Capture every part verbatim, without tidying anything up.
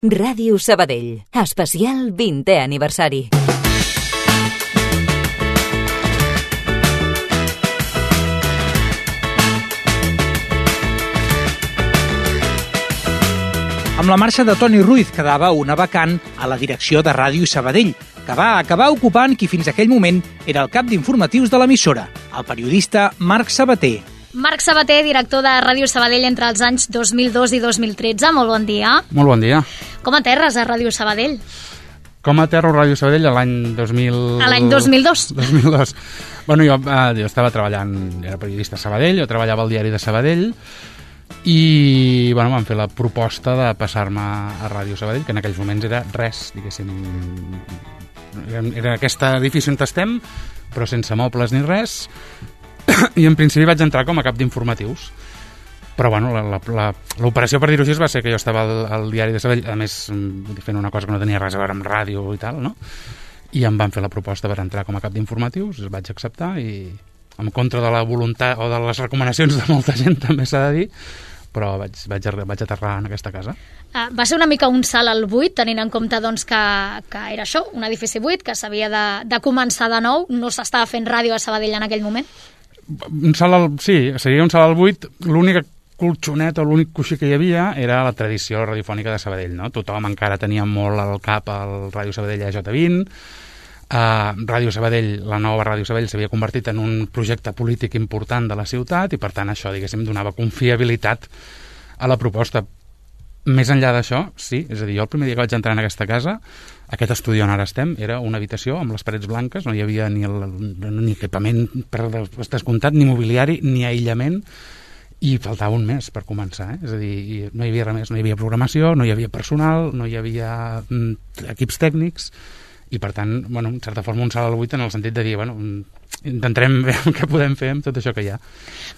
Ràdio Sabadell, especial vintè aniversari. Amb la marxa de Toni Ruiz quedava una vacant a la direcció de Ràdio Sabadell, que va acabar ocupant qui fins aquell moment era el cap d'informatius de l'emissora, el periodista Marc Sabater. Marc Sabater, director de Ràdio Sabadell entre els anys dos mil dos i dos mil tretze. Molt bon dia. Molt bon dia. Com aterres a Ràdio Sabadell? Com aterro a Ràdio Sabadell a l'any dos mil... A l'any dos mil dos. dos mil dos. Bueno, jo, eh, jo estava treballant, era periodista a Sabadell, jo treballava al diari de Sabadell i bueno, vam fer la proposta de passar-me a Ràdio Sabadell, que en aquells moments era res, diguéssim. Era, era aquest edifici on estem, però sense mobles ni res, i en principi vaig entrar com a cap d'informatius. Però bueno, l'operació, per dir-ho així, va ser que jo estava al, al diari de Sabadell, a més fent una cosa que no tenia res a veure amb ràdio i tal, no? I em van fer la proposta per entrar com a cap d'informatius, es vaig acceptar i en contra de la voluntat o de les recomanacions de molta gent, també s'ha de dir, però vaig, vaig, vaig aterrar en aquesta casa. Uh, va ser una mica un salt al buit, tenint en compte doncs, que, que era això, un edifici buit, que s'havia de, de començar de nou, no s'estava fent ràdio a Sabadell en aquell moment? Un salt al, sí, seria un salt al buit. L'única colxonet o l'únic coixí que hi havia era la tradició radiofònica de Sabadell, no? Tothom encara tenia molt al cap el Ràdio Sabadell A J vint. Uh, Ràdio Sabadell, la nova Ràdio Sabadell s'havia convertit en un projecte polític important de la ciutat i per tant això, diguéssim, donava confiabilitat a la proposta. Més enllà d'això, sí, és a dir, jo el primer dia que vaig entrar en aquesta casa, aquest estudi on ara estem era una habitació amb les parets blanques, no hi havia ni, el, ni equipament per descomptat, ni mobiliari, ni aïllament, i faltava un mes per començar, eh? És a dir, no hi havia res més, no hi havia programació, no hi havia personal, no hi havia mm, equips tècnics, i per tant, bueno, en certa forma un salt al buit en el sentit de dir, bueno, intentarem veure què podem fer amb tot això que hi ha.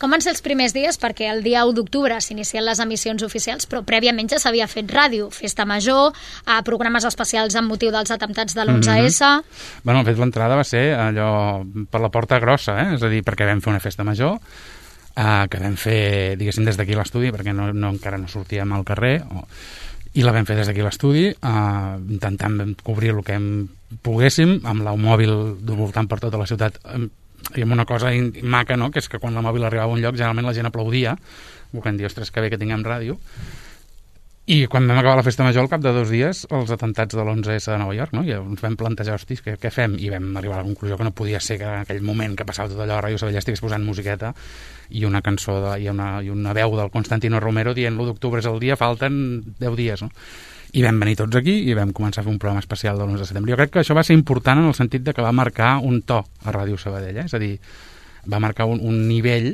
Com van ser els primers dies? Perquè el dia u d'octubre s'inicien les emissions oficials, però prèviament ja s'havia fet ràdio, festa major, a programes especials amb motiu dels atemptats de l'onze essa... Mm-hmm. Bueno, de fet, l'entrada va ser allò per la porta grossa, eh? És a dir, perquè vam fer una festa major, eh, que vam fer, diguéssim, des d'aquí l'estudi, perquè no, no, encara no sortíem al carrer, o... i la vam fer des d'aquí l'estudi, eh, intentant cobrir el que hem poguéssim, amb la mòbil voltant per tota la ciutat, i amb una cosa maca, no?, que és que quan la mòbil arribava a un lloc, generalment la gent aplaudia, volent dir, ostres, que bé que tinguem ràdio. I quan vam acabar la festa major, al cap de dos dies, els atemptats de l'onze essa de Nova York, no?, i ens vam plantejar, hostis, què, què fem? I vam arribar a la conclusió que no podia ser que en aquell moment que passava tot allò a Ràdio Sabadell estigués posant musiqueta i una cançó de, i, una, i una veu del Constantino Romero dient l'u d'octubre és el dia, falten deu dies, no? I vam venir tots aquí i vam començar a fer un programa especial de l'onze de setembre. Jo crec que això va ser important en el sentit de que va marcar un to a Ràdio Sabadell, eh? És a dir, va marcar un, un nivell.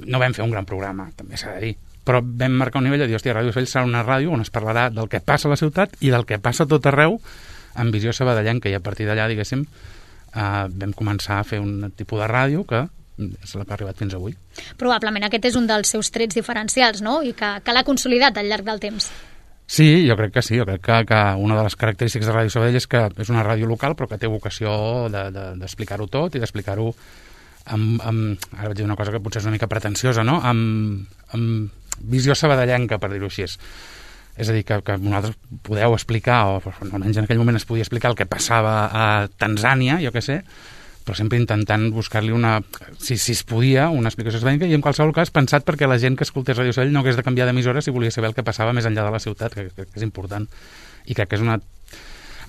No vam fer un gran programa, també s'ha de dir, però vam marcar un nivell de dir, hòstia, Ràdio Sabadell serà una ràdio on es parlarà del que passa a la ciutat i del que passa a tot arreu amb visió sabadellenca, i a partir d'allà, diguéssim, eh, vam començar a fer un tipus de ràdio que és la que ha arribat fins avui. Probablement aquest és un dels seus trets diferencials, no?, i que, que l'ha consolidat al llarg del temps. Sí, jo crec que sí, jo crec que, que una de les característiques de Ràdio Sabadell és que és una ràdio local però que té vocació d'explicar-ho de, de, tot i d'explicar-ho amb, amb, ara vaig dir una cosa que potser és una mica pretensiosa, no?, amb, amb visió sabadellenca, per dir-ho així. És a dir, que, que vosaltres podeu explicar, o almenys en aquell moment es podia explicar el que passava a Tanzània, jo què sé, però sempre intentant buscar-li una, si, si es podia, una explicació sabadellenca, i en qualsevol cas pensat perquè la gent que escoltés Ràdio Sabadell no hagués de canviar d'emissora si volia saber el que passava més enllà de la ciutat, que, que, que és important. I crec que és una...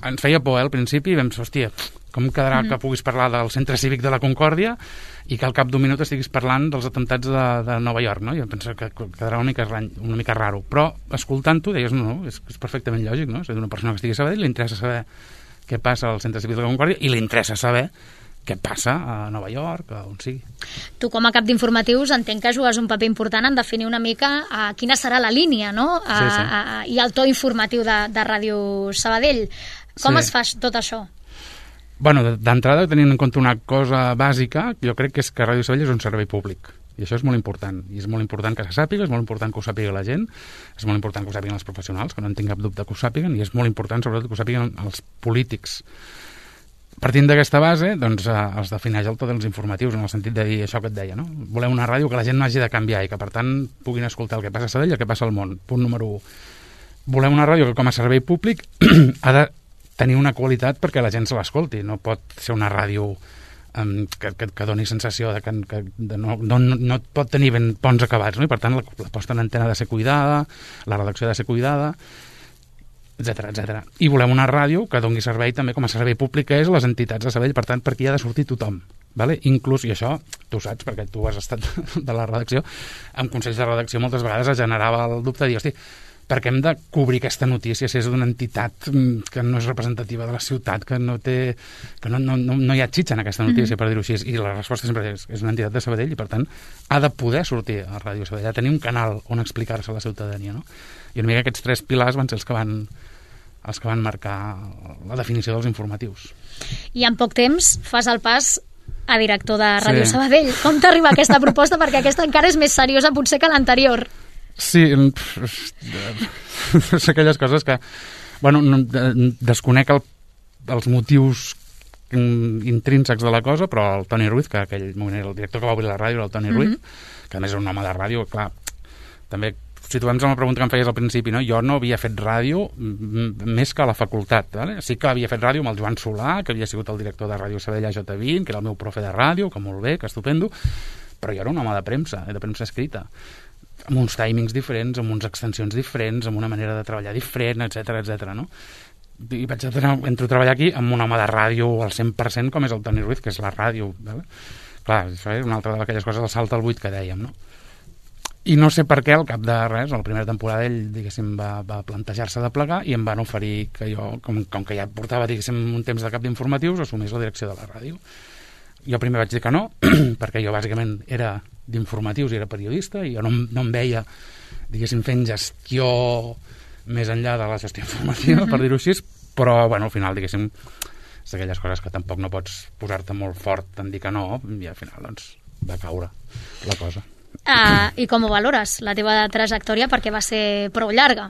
Ens feia por, eh, al principi, i vam dir, hòstia, com quedarà mm-hmm. que puguis parlar del centre cívic de la Concòrdia i que al cap d'un minut estiguis parlant dels atemptats de, de Nova York, no? I em penso que quedarà una mica, una mica raro. Però, escoltant-ho, deies, no, no, és, és perfectament lògic, no? És a dir, una persona que estigui a Sabadell li interessa saber què passa al centre cívic de la Concòrdia i li interessa saber què passa a Nova York, on sigui. Tu, com a cap d'informatius, entenc que jugues un paper important en definir una mica a quina serà la línia, no?, a, sí, sí. A, a, i el to informatiu de, de Ràdio Sabadell. Com sí. es fa tot això? Bueno, d'entrada, tenint en compte una cosa bàsica, jo crec que és que Ràdio Sabadell és un servei públic. I això és molt important. I és molt important que se sàpiga, és molt important que ho sàpiga la gent, és molt important que ho sàpiguen els professionals, que no en tinc cap dubte que ho sàpiguen, i és molt important, sobretot, que ho sàpiguen els polítics. Partint d'aquesta base, doncs, eh, es defineix el to dels informatius, en el sentit de dir això que et deia, no? Volem una ràdio que la gent no hagi de canviar i que, per tant, puguin escoltar el que passa a Sabadell i el que passa al món. Punt número u. volem una ràdio que com a servei públic ha de tenir una qualitat perquè la gent se l'escolti. No pot ser una ràdio um, que, que, que doni sensació de que, que de no, no, no pot tenir ben bons acabats, no? I per tant la, la posta en antena ha de ser cuidada, la redacció ha de ser cuidada, etcètera, etcètera. I volem una ràdio que doni servei també com a servei públic, que és les entitats de Sabadell, per tant, per aquí ha de sortir tothom. Vale? Inclús, i això tu saps, perquè tu has estat de la redacció, amb consells de redacció moltes vegades es generava el dubte de dir, hosti, perquè hem de cobrir aquesta notícia si és d'una entitat que no és representativa de la ciutat, que no té, que no, no, no, no hi ha xitxa en aquesta notícia, mm-hmm. per dir-ho així, i la resposta sempre és, és una entitat de Sabadell i per tant ha de poder sortir a Ràdio Sabadell, ha de tenir un canal on explicar-se a la ciutadania, no? I una mica aquests tres pilars van ser els que van els que van marcar la definició dels informatius. I en poc temps fas el pas a director de Ràdio Sí. Sabadell. Com t'arriba aquesta proposta? Perquè aquesta encara és més seriosa potser que l'anterior. Sí, és aquelles coses que, bueno, no, desconec el, els motius intrínsecs de la cosa, però el Toni Ruiz, que aquell moment era el director que va obrir la ràdio, era el Toni Ruiz, mm-hmm. que a més era un home de ràdio, clar, també situem-nos en la pregunta que em feies al principi, no? Jo no havia fet ràdio més que a la facultat, ¿vale? Sí que havia fet ràdio amb el Joan Solà, que havia sigut el director de Ràdio Sabadell a J vint, que era el meu profe de ràdio, que molt bé, que estupendo, però jo era un home de premsa, de premsa escrita, amb uns timings diferents, amb unes extensions diferents, amb una manera de treballar diferent, etcètera, etcètera, no? I vaig entrar, entro a treballar aquí amb un home de ràdio al cent per cent com és el Toni Ruiz, que és la ràdio, ¿vale? Clar, això és una altra d'aquelles coses del salt al buit que dèiem, no? I no sé per què, al cap de res, a la primera temporada ell, diguéssim, va, va plantejar-se de plegar i em van oferir que jo, com, com que ja portava, diguéssim, un temps de cap d'informatius, assumís la direcció de la ràdio. Jo primer vaig dir que no, perquè jo bàsicament era d'informatius i era periodista i jo no, no em veia, diguéssim, fent gestió més enllà de la gestió informativa, mm-hmm. per dir-ho així, però, bueno, al final, diguéssim, és d'aquelles coses que tampoc no pots posar-te molt fort en dir que no, i al final, doncs, va caure la cosa. Uh, I com ho valores, la teva trajectòria, perquè va ser prou llarga?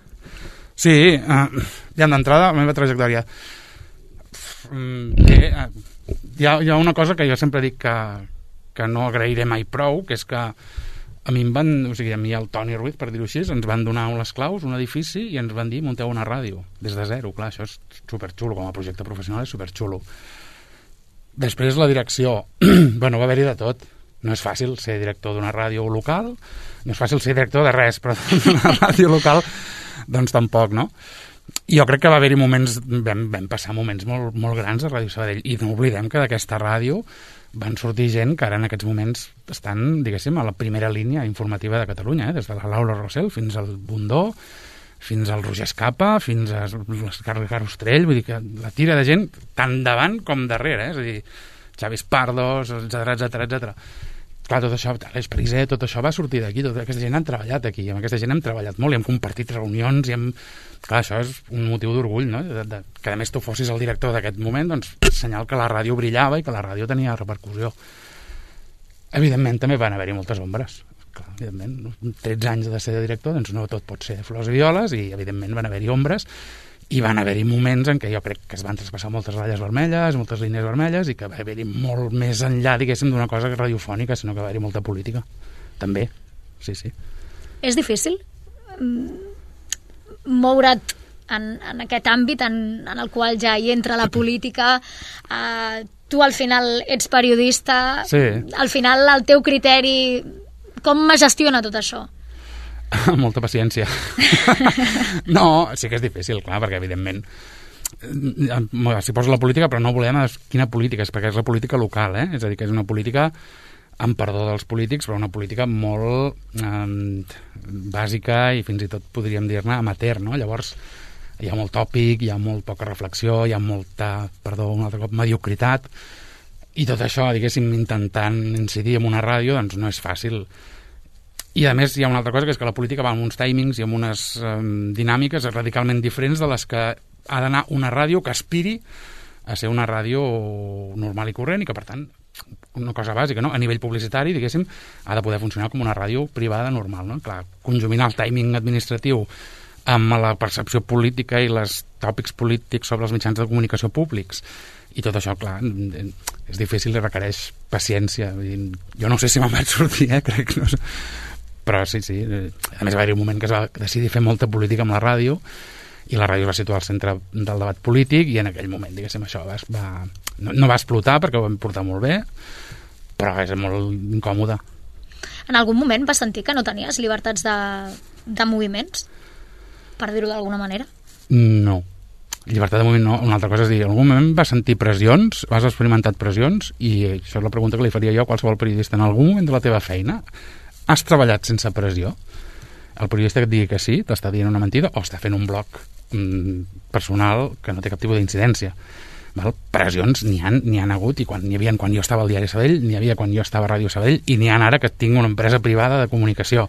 Sí, uh, ja d'entrada, la meva trajectòria. Bé, uh, hi, ha, hi ha una cosa que jo sempre dic que, que no agrairé mai prou, que és que a mi em van, o sigui, a mi el Toni Ruiz, per dir-ho així, ens van donar les claus, un edifici, i ens van dir, munteu una ràdio, des de zero. Clar, això és superxulo, com a projecte professional és superxulo. Després la direcció, bueno, va haver-hi de tot. No és fàcil ser director d'una ràdio local, no és fàcil ser director de res, però d'una ràdio local, doncs tampoc, no? I jo crec que va haver-hi moments, vam, vam passar moments molt, molt grans a Ràdio Sabadell, i no oblidem que d'aquesta ràdio van sortir gent que ara en aquests moments estan, diguéssim, a la primera línia informativa de Catalunya, eh? Des de la Laura Rossell fins al Bundó, fins al Roger Escapa, fins a l'Escarlec Ostrell, vull dir que la tira de gent tant davant com darrere, eh? És a dir, Xavi Pardos, etcètera, etcètera, etcètera. Clar, tot això, l'Eix Pariser, tot això va sortir d'aquí, tota aquesta gent han treballat aquí, i amb aquesta gent hem treballat molt, i hem compartit reunions, i hem... Clar, això és un motiu d'orgull, no? De, de, que a més tu fossis el director d'aquest moment, doncs senyal que la ràdio brillava i que la ràdio tenia repercussió. Evidentment, també van haver-hi moltes ombres. Clar, evidentment, tretze anys de ser director, doncs no tot pot ser flors i violes, i evidentment van haver-hi ombres, i van haver-hi moments en què jo crec que es van traspassar moltes ratlles vermelles, moltes línies vermelles, i que va haver-hi molt més enllà, diguéssim, d'una cosa radiofònica, sinó que va haver-hi molta política. També, sí, sí. És difícil moure't en, en aquest àmbit en, en el qual ja hi entra la política, eh, tu al final ets periodista, sí. Al final el teu criteri, com es gestiona tot això? Molta paciència. No, sí que és difícil, clar, perquè evidentment s'hi posa la política, però no volem quina política és, perquè és la política local, eh? És a dir, que és una política, amb perdó dels polítics, però una política molt eh, bàsica i fins i tot podríem dir-ne amateur, no? Llavors hi ha molt tòpic, hi ha molt poca reflexió, hi ha molta, perdó, un altre cop, mediocritat, i tot això, diguéssim, intentant incidir en una ràdio, doncs no és fàcil. I a més hi ha una altra cosa, que és que la política va amb uns timings i amb unes um, dinàmiques radicalment diferents de les que ha d'anar una ràdio que aspiri a ser una ràdio normal i corrent i que, per tant, una cosa bàsica, no? A nivell publicitari, diguéssim, ha de poder funcionar com una ràdio privada normal, no? Clar, conjuminar el timing administratiu amb la percepció política i els tòpics polítics sobre els mitjans de comunicació públics i tot això, clar, és difícil i requereix paciència. Jo no sé si me'n vaig sortir, eh? Crec que no sé. però sí, sí. A més, va haver-hi un moment que es va decidir fer molta política amb la ràdio i la ràdio es va situar al centre del debat polític i en aquell moment, diguéssim, això va, va, no, no va explotar perquè ho vam portar molt bé, però és molt incòmode. En algun moment vas sentir que no tenies llibertats de, de moviments? Per dir-ho d'alguna manera? No. Llibertat de moviment no. Una altra cosa és dir, en algun moment vas sentir pressions, has experimentat pressions, i això és la pregunta que li faria jo a qualsevol periodista. En algun moment de la teva feina has treballat sense pressió? El periodista que et digui que sí, t'està dient una mentida o està fent un blog mm, personal que no té cap tipus d'incidència. Val? Pressions n'hi ha, n'hi ha hagut, i quan n'hi havia quan jo estava al diari Sabadell, n'hi havia quan jo estava a Ràdio Sabadell, i n'hi ha ara que tinc una empresa privada de comunicació.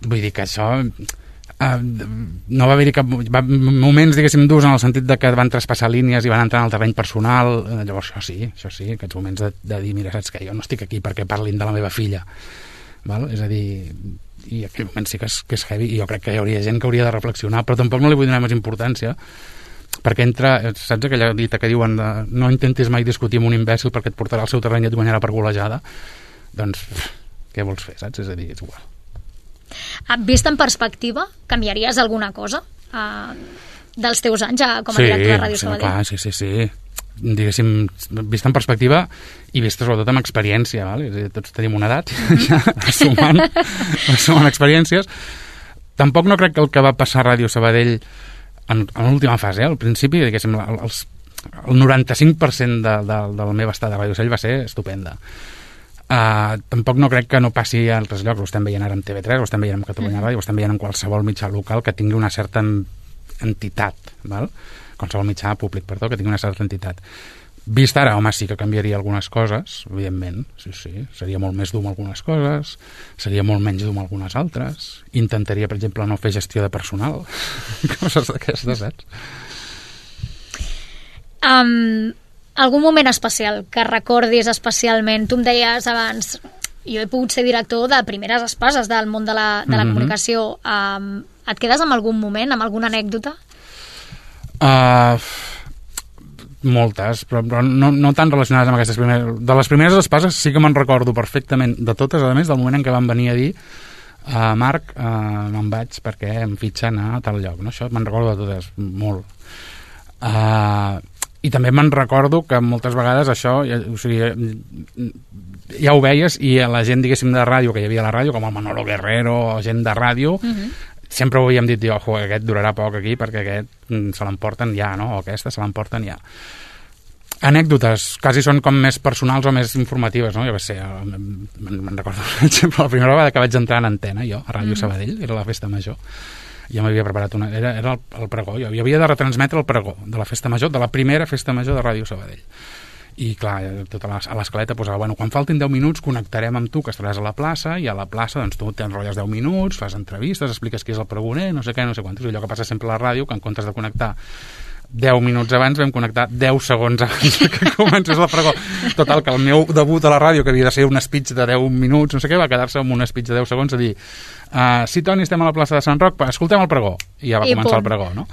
Vull dir que això... Uh, no va haver-hi cap va, moments, diguéssim, durs en el sentit de que van traspassar línies i van entrar en el terreny personal. Uh, llavors això sí, això sí, aquests moments de, de dir, mira, saps que jo no estic aquí perquè parlin de la meva filla, val? És a dir, i aquell moment sí que és, que és heavy, i jo crec que hi hauria gent que hauria de reflexionar, però tampoc no li vull donar més importància, perquè entra, saps aquella dita que diuen de, no intentis mai discutir amb un imbècil perquè et portarà al seu terreny i et guanyarà per golejada? Doncs què vols fer, saps? És a dir, és igual. Vist en perspectiva, canviaries alguna cosa uh, dels teus anys ja com a sí, director de Ràdio sí, Sabadell? Clar, sí, sí, sí. Diguéssim, vist en perspectiva i vist sobretot amb experiència, val? És a dir, tots tenim una edat, ja sumant, sumant experiències. Tampoc no crec que el que va passar a Ràdio Sabadell en, en l'última fase, eh? Al principi, diguéssim, els, el noranta-cinc per cent de, de, de la meva estada a Ràdio Sabadell va ser estupenda. Uh, tampoc no crec que no passi a altres llocs. Ho estem veient ara amb T V tres, ho estem veient amb Catalunya Ràdio, ho estem veient en qualsevol mitjà local que tingui una certa entitat, val? Qualsevol mitjà públic, perdó, que tingui una certa entitat. Vist ara, home, sí que canviaria algunes coses, evidentment, sí, sí, seria molt més dur amb algunes coses, seria molt menys dur amb algunes altres, intentaria, per exemple, no fer gestió de personal, coses d'aquestes, saps? Um... Algun moment especial que recordis especialment? Tu em deies abans, jo he pogut ser director de primeres espases del món de la, de la mm-hmm. comunicació. Um, et quedes amb algun moment, amb alguna anècdota? Uh, moltes, però, però no, no tan relacionades amb aquestes primeres. De les primeres espases sí que me'n recordo perfectament, de totes, a més, del moment en què van venir a dir uh, Marc, uh, me'n vaig perquè em fitxen a tal lloc. No? Això me'n recordo de totes, molt. Uh, I també me'n recordo que moltes vegades això, o sigui, ja ho veies, i a la gent, diguéssim, de ràdio, que hi havia a la ràdio, com el Manolo Guerrero o gent de ràdio, uh-huh. sempre ho havíem dit, ojo, aquest durarà poc aquí perquè aquest se l'emporten ja, no? O aquesta se l'emporten ja. Anècdotes, quasi són com més personals o més informatives, no? Jo què sé, me'n recordo, per exemple, la primera vegada que vaig entrar en antena, jo, a Ràdio uh-huh. Sabadell, era la festa major, ja m'havia preparat una... Era, era el, el pregó, jo havia de retransmetre el pregó de la festa major, de la primera festa major de Ràdio Sabadell. I clar, tota la, a l'escaleta posava, bueno, quan faltin deu minuts connectarem amb tu, que estaràs a la plaça, i a la plaça doncs tu t'enrotlles deu minuts, fas entrevistes, expliques qui és el pregoner, no sé què, no sé quantos, i allò que passa sempre a la ràdio, que en comptes de connectar deu minuts abans, vam connectar deu segons abans que comencés el pregó. Total, que el meu debut a la ràdio, que havia de ser un speech de deu minuts, no sé què, va quedar-se amb un speech de deu segons a dir, uh, sí, Toni, estem a la plaça de Sant Roc, escoltem el pregó. I ja va I començar punt. El pregó, no?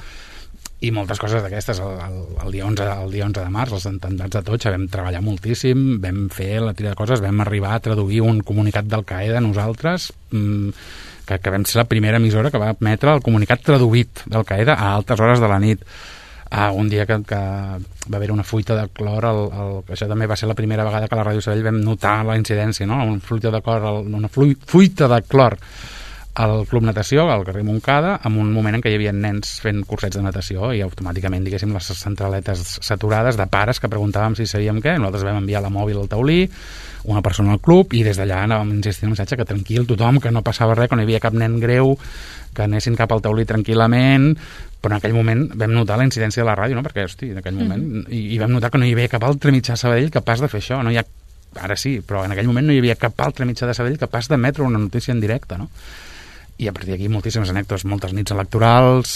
I moltes coses d'aquestes. El, el, el, dia onze, el dia onze de març, els atemptats de Totxa, vam treballar moltíssim, vam fer la tira de coses, vam arribar a traduir un comunicat d'Al-Qaeda nosaltres, mmm, que, que vam ser la primera emissora que va emetre el comunicat traduït d'Al-Qaeda a altes hores de la nit. Ah, un dia que, que va haver una fuita de clor, el, el, això també va ser la primera vegada que a la Ràdio Sabadell vam notar la incidència, no? Una fuita de clor, una fuita de clor al Club Natació, al carrer Montcada, en un moment en què hi havia nens fent cursets de natació i automàticament, diguéssim, les centraletes saturades de pares que preguntàvem si sabíem què. Nosaltres vam enviar la mòbil al taulí, una persona al club, i des d'allà anàvem insistint en el missatge que tranquil tothom, que no passava res, que no hi havia cap nen greu, que anessin cap al taulí tranquil·lament, però en aquell moment vam notar la incidència de la ràdio, no? Perquè, hosti, en aquell moment, mm-hmm. i, i vam notar que no hi havia cap altre mitjà a Sabadell capaç de fer això, no hi ha, ara sí, però en aquell moment no hi havia cap altre mitjà de Sabadell capaç d'emetre una notícia en directe, no? I a partir d'aquí moltíssimes anècdotes, moltes nits electorals,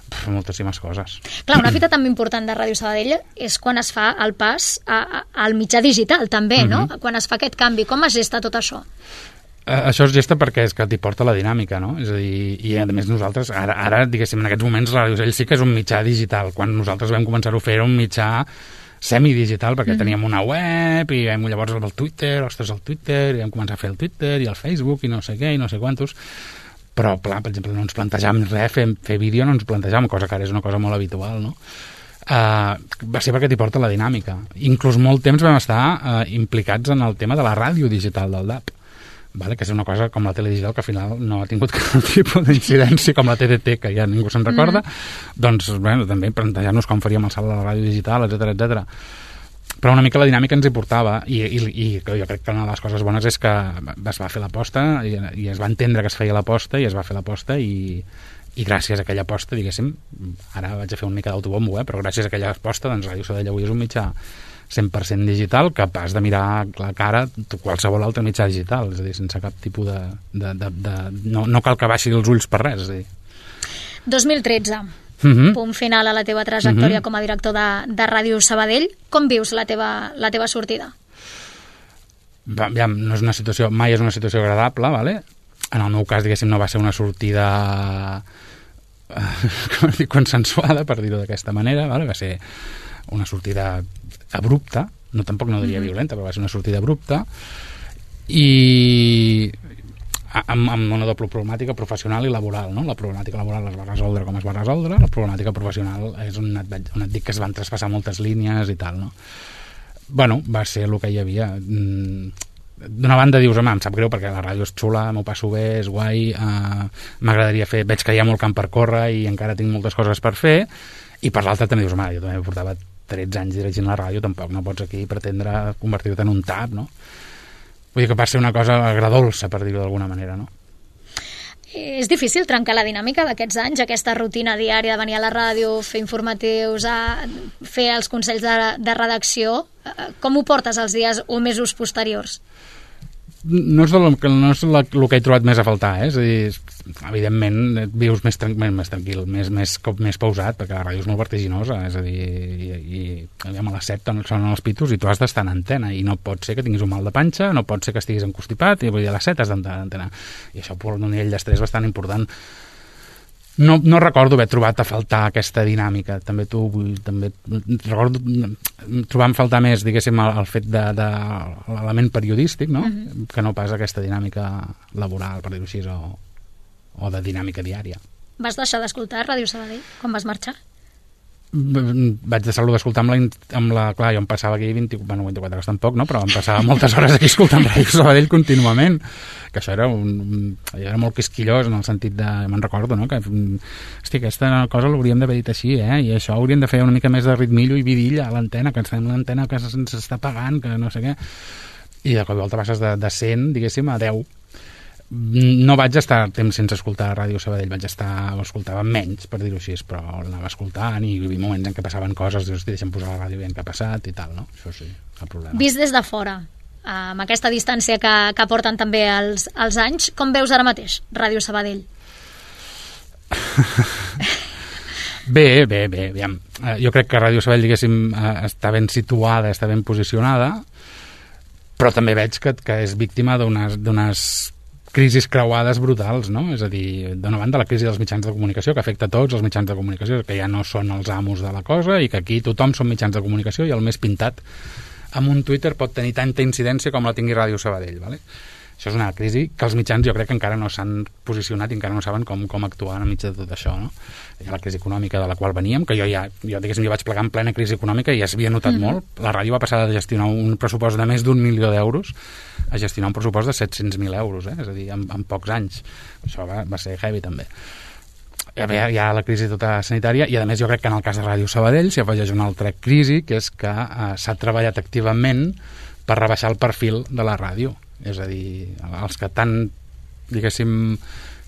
pf, moltíssimes coses. Clar, una fita també important de Ràdio Sabadell és quan es fa el pas a, a, al mitjà digital, també, mm-hmm. no? Quan es fa aquest canvi, com es gesta tot això? Uh, això es gesta perquè és que t'hi porta la dinàmica, no? És a dir, i a més nosaltres, ara, ara diguéssim, en aquests moments la Ràdio Sabadell sí que és un mitjà digital. Quan nosaltres vam començar a fer era un mitjà semidigital, perquè mm-hmm. teníem una web i vam llavors el Twitter, ostres, el Twitter, i vam començar a fer el Twitter i el Facebook i no sé què i no sé quantos, però, clar, per exemple, no ens plantejàvem res, fer, fer vídeo no ens plantejàvem, cosa que ara és una cosa molt habitual, no? Uh, va ser perquè t'hi porta la dinàmica. Inclús molt temps vam estar uh, implicats en el tema de la ràdio digital del D A P, vale? Que és una cosa com la tele digital que al final no ha tingut cap tipus d'incidència, com la T D T, que ja ningú se'n recorda, mm. doncs bueno, també plantejar-nos com faríem el salt de la ràdio digital, etcètera, etcètera. Però una mica la dinàmica ens hi portava i, i, i jo crec que una de les coses bones és que es va fer l'aposta i, i es va entendre que es feia l'aposta i es va fer l'aposta i, i gràcies a aquella aposta, diguéssim, ara vaig a fer una mica d'autobombo, eh? Però gràcies a aquella aposta, doncs Ràdio Sabadell avui és un mitjà cent per cent digital, capaç de mirar la cara qualsevol altre mitjà digital, és a dir, sense cap tipus de... de, de, de no, no cal que baixi els ulls per res, és a dir. dos mil tretze, uh-huh. punt final a la teva trajectòria uh-huh. com a director de, de Ràdio Sabadell. Com vius la teva, la teva sortida? Va, ja, no és una situació, mai és una situació agradable, vale? En el meu cas, diguéssim, no va ser una sortida com dir, consensuada, per dir-ho d'aquesta manera, vale? Va ser una sortida abrupta, no tampoc no diria violenta, però va ser una sortida abrupta i amb, amb una doble problemàtica professional i laboral, no? La problemàtica laboral es va resoldre com es va resoldre, la problemàtica professional és on et, on et dic que es van traspassar moltes línies i tal, no? Bueno, va ser el que hi havia. D'una banda dius, home, em sap greu perquè la ràdio és xula, m'ho passo bé, és guai, eh, m'agradaria fer, veig que hi ha molt camp per córrer i encara tinc moltes coses per fer, i per l'altra també dius, home, jo també portava tretze anys dirigint la ràdio, tampoc no pots aquí pretendre convertir-te en un tap, no? Vull dir que va ser una cosa agradolça, per dir-ho d'alguna manera, no? És difícil trencar la dinàmica d'aquests anys, aquesta rutina diària de venir a la ràdio, fer informatius, a fer els consells de, de redacció. Com ho portes els dies o mesos posteriors? No és, el, no és la, el que he trobat més a faltar, eh? És a dir, evidentment vius més, tran més tranquil, més, més, més pausat, perquè la ràdio és molt vertiginosa, és a dir, i, i a les set sonen els pitos i tu has d'estar en antena, i no pot ser que tinguis un mal de panxa, no pot ser que estiguis encostipat, i vull dir, a les set has d'estar en antena. I això per un nivell d'estrès bastant important. No, no recordo haver trobat a faltar aquesta dinàmica. També tu, vull, també recordo trobant faltar més, diguéssim, el, el fet de, de l'element periodístic, no? Uh-huh. Que no pas aquesta dinàmica laboral, per dir-ho així, o, o de dinàmica diària. Vas deixar d'escoltar Ràdio Sabadell quan vas marxar? Vaig deixar-lo d'escoltar amb la, amb la... Clar, jo em passava aquí vint, bueno, vint-i-quatre hores tampoc, no? Però em passava moltes hores aquí escoltant Ràdio Sabadell contínuament, que això era, un, era molt quisquillós en el sentit de... Me'n recordo, no? Que, hosti, aquesta cosa l'hauríem d'haver dit així, eh? I això hauríem de fer una mica més de ritmillo i vidilla a l'antena, que ens fem una antena que s'està pagant, que no sé què. I de cop i volta passes de, de cent, diguéssim, a deu. No vaig estar temps sense escoltar Ràdio Sabadell, vaig estar, ho escoltava menys, per dir-ho així, però l'anava escoltant i hi havia moments en què passaven coses, dius, deixa'm posar la ràdio ben que ha passat i tal, no? Això sí, el problema. Vist des de fora, amb aquesta distància que, que porten també els, els anys, com veus ara mateix Ràdio Sabadell? Bé, bé, bé, aviam. Jo crec que Ràdio Sabadell, diguéssim, està ben situada, està ben posicionada, però també veig que, que és víctima d'unes crisis creuades brutals, no? És a dir, d'una banda la crisi dels mitjans de comunicació, que afecta tots els mitjans de comunicació, que ja no són els amos de la cosa i que aquí tothom són mitjans de comunicació i el més pintat amb un Twitter pot tenir tanta incidència com la tingui Ràdio Sabadell, ¿vale? Això és una crisi que els mitjans jo crec que encara no s'han posicionat i encara no saben com, com actuar enmig de tot això, no? Hi ha la crisi econòmica de la qual veníem, que jo ja, jo diguéssim, jo vaig plegar en plena crisi econòmica i ja s'havia notat mm-hmm. molt. La ràdio va passar de gestionar un pressupost de més d'un milió d'euros a gestionar un pressupost de set-cents mil euros, eh? És a dir, en, en pocs anys. Això va, va ser heavy, també. Hi ha, hi ha la crisi tota sanitària i, a més, jo crec que en el cas de Ràdio Sabadell s'hi afegeix una altra crisi, que és que eh, s'ha treballat activament per rebaixar el perfil de la ràdio. És a dir, els que tant, diguéssim,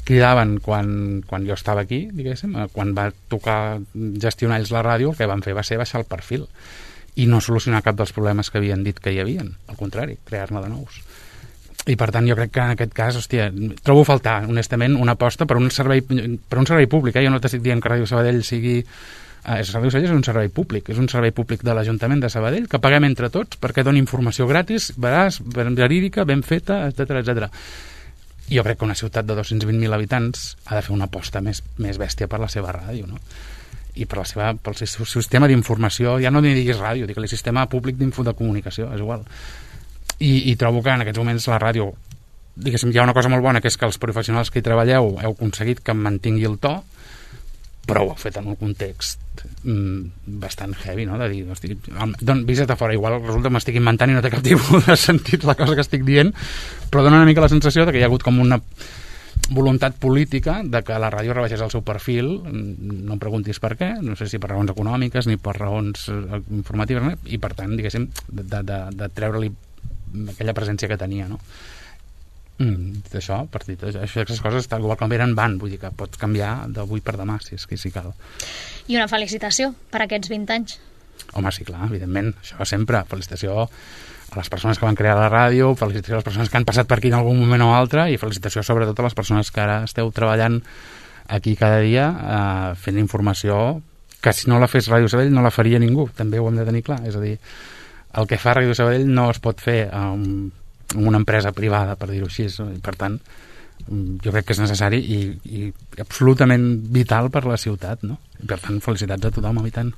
cridaven quan, quan jo estava aquí, diguéssim, quan va tocar gestionar ells la ràdio, el que van fer va ser baixar el perfil i no solucionar cap dels problemes que havien dit que hi havien, al contrari, crear-ne de nous. I per tant jo crec que en aquest cas, hòstia, trobo a faltar, honestament, una aposta per un servei, per un servei públic, eh? Jo no t'estic dient que Ràdio Sabadell sigui... Eh, Ràdio Sabadell és un servei públic, és un servei públic de l'Ajuntament de Sabadell que paguem entre tots perquè doni informació gratis, veraç, verídica, ben feta, etcètera, etcètera. Jo crec que una ciutat de dos-cents vint mil habitants ha de fer una aposta més, més bèstia per la seva ràdio, no? i per la seva, pel seu sistema d'informació, ja no ni diguis ràdio, digue-li sistema públic d'info de comunicació, és igual. I, i trobo que en aquests moments la ràdio, diguéssim, hi ha una cosa molt bona, que és que els professionals que hi treballeu heu aconseguit que mantingui el to, però ho heu fet en un context mm, bastant heavy, no? De dir, hosti, don, vist a fora, igual resulta que m'estic inventant i no té cap tipus de sentit la cosa que estic dient, però dona una mica la sensació de que hi ha hagut com una voluntat política de que la ràdio rebaixés el seu perfil, no em preguntis per què, no sé si per raons econòmiques ni per raons informatives, i per tant, diguéssim, de, de, de treure-li aquella presència que tenia, no? Mm, d'això, partit, això, aquestes coses igual com eren van, vull dir que pots canviar d'avui per demà, si és que si cal. I una felicitació per aquests vint anys. Home, sí, clar, evidentment, això sempre, felicitació a les persones que van crear la ràdio, felicitació a les persones que han passat per aquí en algun moment o altre, i felicitació sobretot a les persones que ara esteu treballant aquí cada dia eh, fent informació que si no la fes Ràdio Sabadell no la faria ningú, també ho hem de tenir clar, és a dir, el que fa Ràdio Sabadell no es pot fer amb una empresa privada, per dir-ho així, i per tant jo crec que és necessari i, i absolutament vital per la ciutat, no? I per tant, felicitats a tothom, i tant.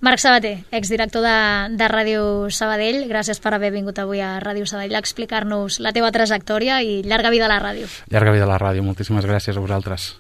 Marc Sabater, exdirector de, de Ràdio Sabadell, gràcies per haver vingut avui a Ràdio Sabadell a explicar-nos la teva trajectòria i llarga vida a la ràdio. Llarga vida a la ràdio, moltíssimes gràcies a vosaltres.